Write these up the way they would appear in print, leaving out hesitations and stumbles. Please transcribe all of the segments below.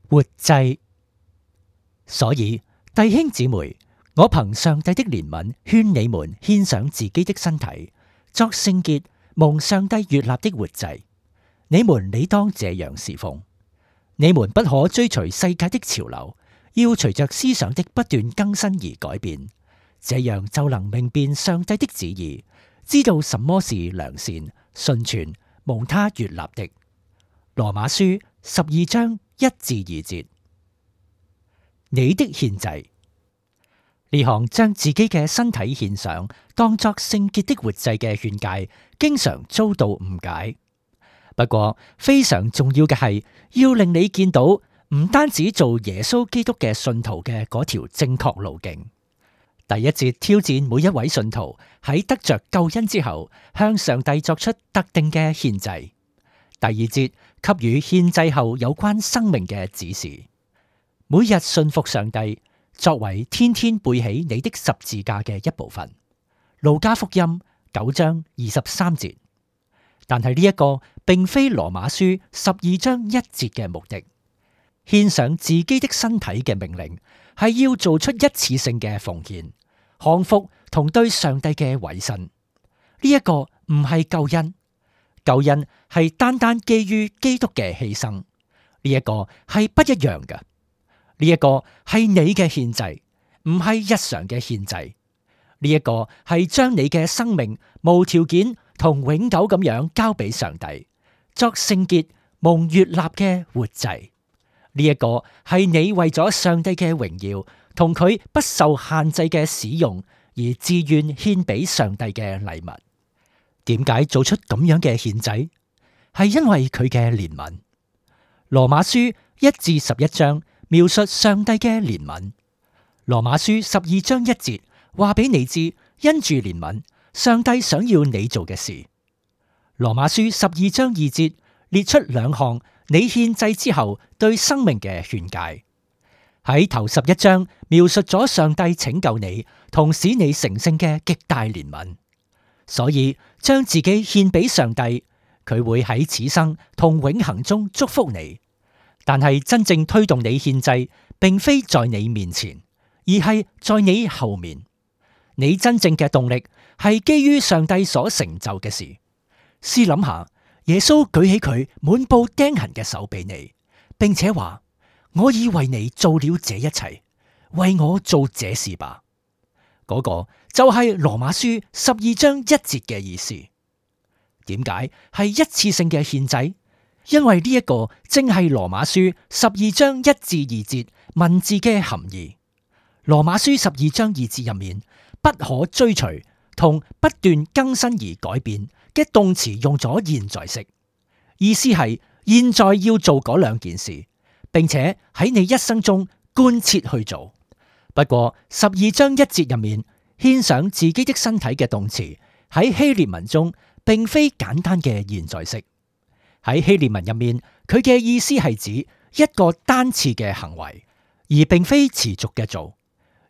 活祭。所以弟兄姊妹，我憑上帝的憐憫勸你們獻上自己的身體，作聖潔、蒙上帝悅納的活祭。你們理當這樣侍奉。你們不可追隨世界的潮流，要隨着思想的不斷更新而改變，這樣就能明辨上帝的旨意，知道什麼是良善、純全、蒙他悅納的。羅馬書12章1至2節。你的獻祭，呢項將自己嘅身體獻上，當作聖潔的活祭嘅勸誡，經常遭到誤解。不過非常重要嘅係，要令你見到唔單止做耶穌基督嘅信徒嘅嗰條正確路徑。第一節挑戰每一位信徒喺得着救恩之後，向上帝作出特定嘅獻祭。第二節給予獻祭後有關生命嘅指示。每日信服上帝，作為天天背起你的十字架嘅一部分。路加福音9章23節。但係呢一個並非羅馬書12章1節嘅目的。獻上自己的身體嘅命令係要做出一次性嘅奉獻、降服同對上帝嘅委身。呢一個唔係救恩，救恩係單單基於基督嘅犧牲。呢一個係不一樣嘅。呢一個係你嘅獻祭，唔係日常嘅獻祭。呢一個係將你嘅生命無條件同永久咁樣交俾上帝，作聖潔蒙悅納嘅活祭。呢一個係你為咗上帝嘅榮耀同佢不受限制嘅使用而自願獻俾上帝嘅禮物。點解做出咁樣嘅獻祭？係因為佢嘅憐憫。羅馬書1至11章描述上帝嘅憐憫。羅馬書12章1節話俾你知，因住憐憫，上帝想要你做嘅事。羅馬書12章2節列出2項你獻祭之後對生命嘅勸誡。喺頭11章描述咗上帝拯救你同使你成聖嘅極大憐憫。所以將自己獻俾上帝，佢會喺此生同永恆中祝福你。但係真正推動你獻祭，並非在你面前，而係在你後面。你真正嘅動力係基於上帝所成就嘅事。試諗下，耶穌舉起佢滿布釘痕嘅手俾你，並且話：我已為你做了這一切，為我做這事吧。嗰個就係羅馬書12章1節嘅意思。點解係一次性嘅獻祭？因為呢一個正係羅馬書12章1至2節文字嘅含義。羅馬書12章2節入面，不可追隨同不斷更新而改變嘅動詞用咗現在式，意思係現在要做嗰兩件事，並且喺你一生中貫徹去做。不過12章1節入面，獻上自己的身體嘅動詞喺希臘文中並非簡單嘅現在式。喺希臘文入面，佢嘅意思係指一個單次嘅行為，而並非持續嘅做。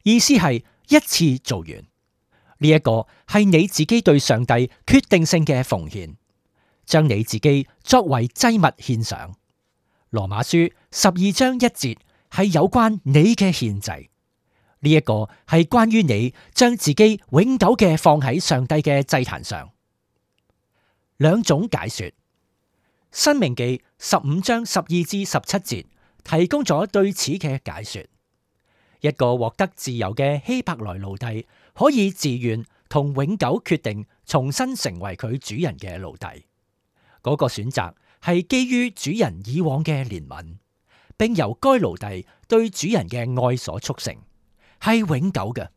意思係一次做完。呢一個係你自己對上帝決定性嘅奉獻，將你自己作為祭物獻上。羅馬書12章1節係有關你嘅獻祭。呢一個係關於你將自己永久嘅放喺上帝嘅祭壇上。兩種解說。申命記15章12至17節提供咗對此嘅解說。一個獲得自由嘅希伯來奴隸可以自願同永久決定重新成為佢主人嘅奴隸。嗰個選擇係基於主人以往嘅憐憫，並由該奴隸對主人嘅愛所促成，係永久嘅。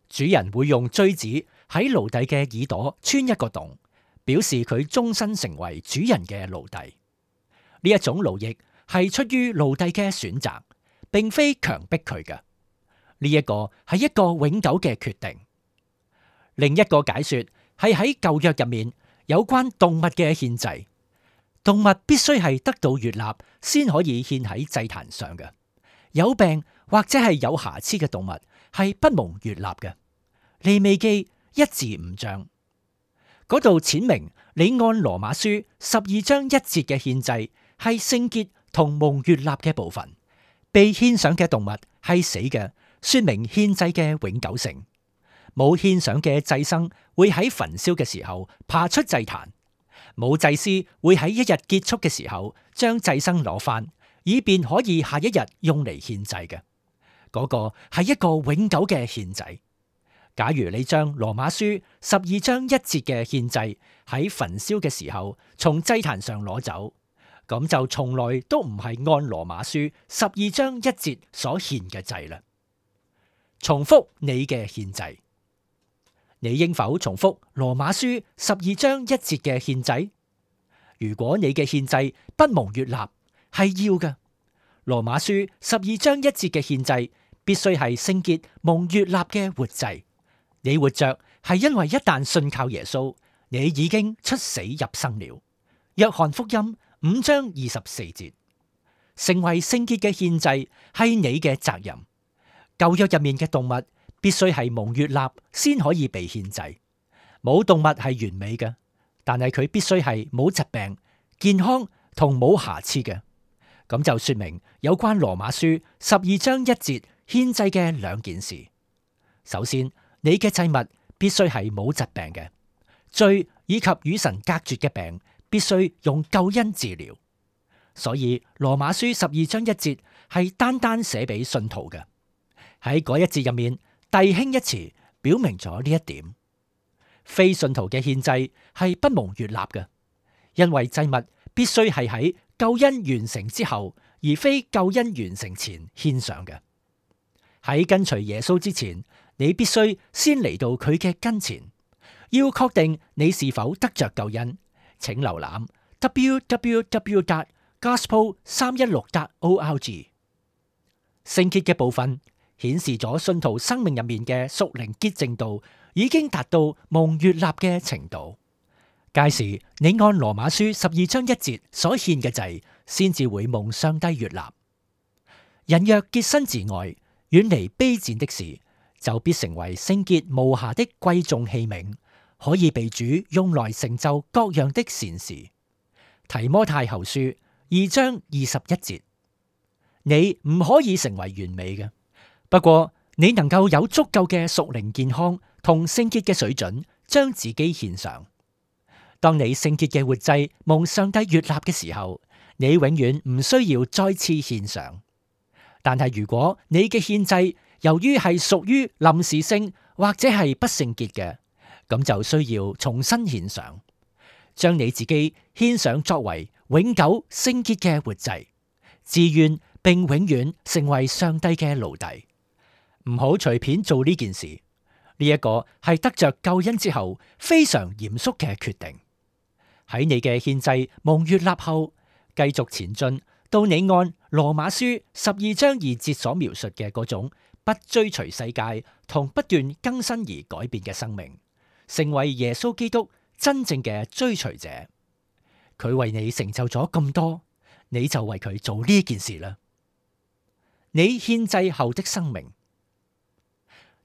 主人會用錐子喺奴隸嘅耳朵穿一個洞，表示佢終身成為主人嘅奴隸。呢一種奴役係出於奴隸嘅選擇，並非強迫佢嘅。呢一個係一個永久嘅決定。另一個解說係喺舊約入面有關動物嘅獻祭，動物必須係得到悅納先可以獻喺祭壇上嘅。有病或者係有瑕疵嘅動物係不蒙悅納嘅。利未記1至5章嗰度闡明，你按羅馬書12章1節嘅獻祭係聖潔同蒙悅納嘅部分，被獻上嘅動物係死嘅，說明獻祭嘅永久性。冇獻上嘅祭牲會喺焚燒嘅時候爬出祭壇，冇祭司會喺一日結束嘅時候將祭牲攞返，以便可以下一日用嚟獻祭嘅。嗰個係一個永久嘅獻祭。假如你將羅馬書12章1節嘅獻祭喺焚燒嘅時候從祭壇上攞走，咁就從來都唔係按羅馬書12章1節所獻嘅祭啦。重複你嘅獻祭，你應否重複羅馬書12章1節嘅獻祭？如果你嘅獻祭不蒙悅納，係要嘅。羅馬書12章1節嘅獻祭必須係聖潔蒙悅納嘅活祭。你活着係因為一旦信靠耶穌，你已經出死入生了。約翰福音5章24節，成為聖潔嘅獻祭係你嘅責任。舊約入面嘅動物必須係蒙悅納先可以被獻祭。冇動物係完美嘅，但係佢必須係冇疾病、健康同冇瑕疵嘅。咁就說明有關羅馬書12章1節獻祭嘅兩件事。首先，你嘅祭物必須係冇疾病嘅，罪以及與神隔絕嘅病必須用救恩治療。所以羅馬書12章1節係單單寫俾信徒嘅。喺嗰一節入面，弟兄一詞表明咗呢一點。非信徒嘅獻祭係不蒙悅納嘅，因為祭物必須係喺救恩完成之後，而非救恩完成前獻上嘅。喺跟隨耶穌之前，你必須先嚟到佢嘅跟前，要確定你是否得着救恩。請瀏覽 www.gospel316.org。 聖潔嘅部分顯示咗信徒生命入面嘅屬靈潔淨度已經達到蒙悅納嘅程度。屆時你按羅馬書12章1節所獻嘅祭，先至會蒙上帝悅納。人若潔身自愛，遠離卑賤的事，就必成為聖潔無瑕的貴重器皿，可以被主用來成就各樣的善事。提摩太後書2章21節，你唔可以成為完美嘅，不過你能夠有足夠嘅屬靈健康同聖潔嘅水準，將自己獻上。當你聖潔嘅活祭蒙上帝悅納嘅時候，你永遠唔需要再次獻上。但係如果你嘅獻祭由於係屬於臨時性或者係不聖潔嘅，咁就需要重新獻上，將你自己獻上作為永久聖潔嘅活祭，自願並永遠成為上帝嘅奴隸。唔好隨便做呢件事，呢一個係得着救恩之後非常嚴肅嘅決定。喺你嘅獻祭蒙悅納後，繼續前進到你按羅馬書12章2節所描述嘅嗰種不追隨世界同不斷更新而改變嘅生命，成為耶穌基督真正嘅追隨者。佢為你成就咗咁多，你就為佢做呢件事啦。你獻祭後的生命，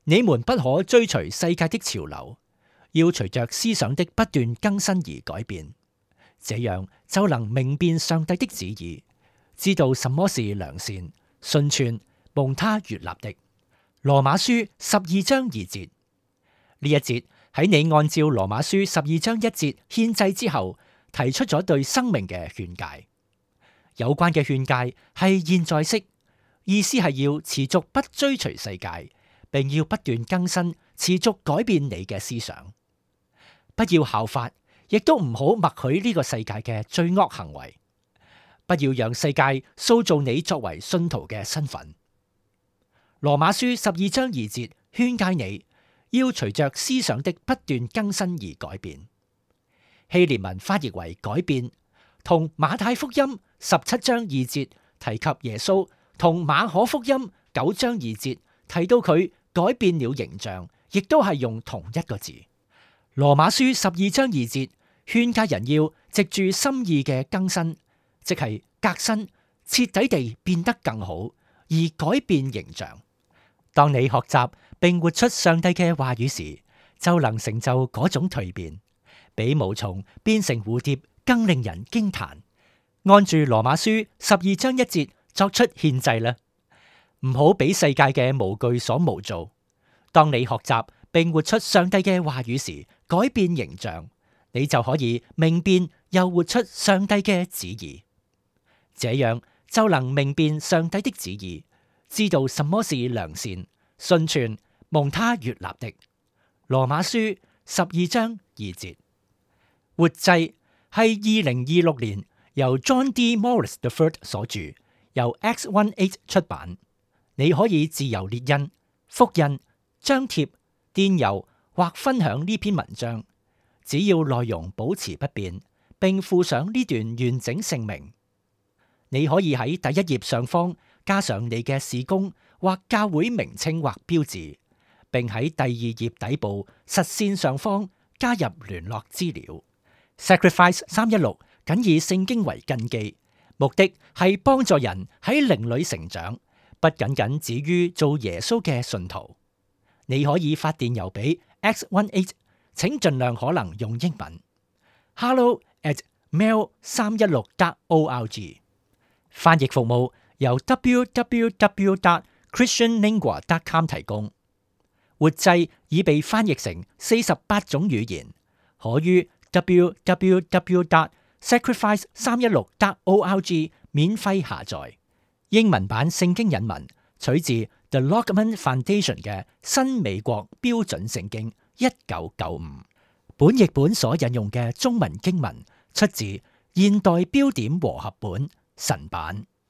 你們不可追隨世界的潮流，要隨着思想的不斷更新而改變，這樣就能明辨上帝的旨意，知道什麼是良善、順全、蒙他悅納的。羅馬書12章2節，呢一節喺你按照羅馬書12章1節獻祭之後，提出咗對生命嘅勸誡。有關嘅勸誡係現在式，意思係要持續不追隨世界，並要不斷更新，持續改變你嘅思想。不要效法，亦都唔好默許呢個世界嘅罪惡行為。不要讓世界塑造你作為信徒嘅身份。羅馬書12章2節勸誡你要隨着思想的不斷更新而改變。希臘文翻譯為改變，同馬太福音17章2節提及耶穌，同馬可福音9章2節提到佢改變了形象，亦都係用同一個字。羅馬書12章2節勸誡人要藉住心意嘅更新，即係革新，徹底地變得更好，而改變形象。當你學習並活出上帝嘅話語時，就能成就嗰種蛻變，比毛蟲變成蝴蝶更令人驚嘆。按住羅馬書12章1節作出獻祭啦，唔好俾世界嘅模具所模造。當你學習並活出上帝嘅話語時，改變形象，你就可以明辨又活出上帝嘅旨意。這樣就能明辨上帝的旨意，知道什麼是良善、純全、蒙他悅納的。羅馬書12章2節。活祭係2026年由 John D. Morris III 所著，由 X18 出版。你可以自由列印、複印、張貼、電郵或分享呢篇文章，只要內容保持不變，並附上呢段完整姓名。你可以喺第一頁上方加上你嘅事工或教會名稱或標誌，並喺第二頁底部實線上方加入聯絡資料。Sacrifice 316僅以聖經為根基，目的係幫助人喺靈裏成長，不僅僅止於做耶穌嘅信徒。你可以發電郵俾 X18， 請盡量可能用英文。hello@mail316.org。翻譯服務由 www.christianlingua.com 提供。活祭已被翻譯成48種語言，可於www.sacrifice316.org 免費下載。英文版聖經引文取自 The Lockman Foundation 嘅新美國標準聖經1995。本譯本所引用嘅中文經文出自現代標點和合本神版。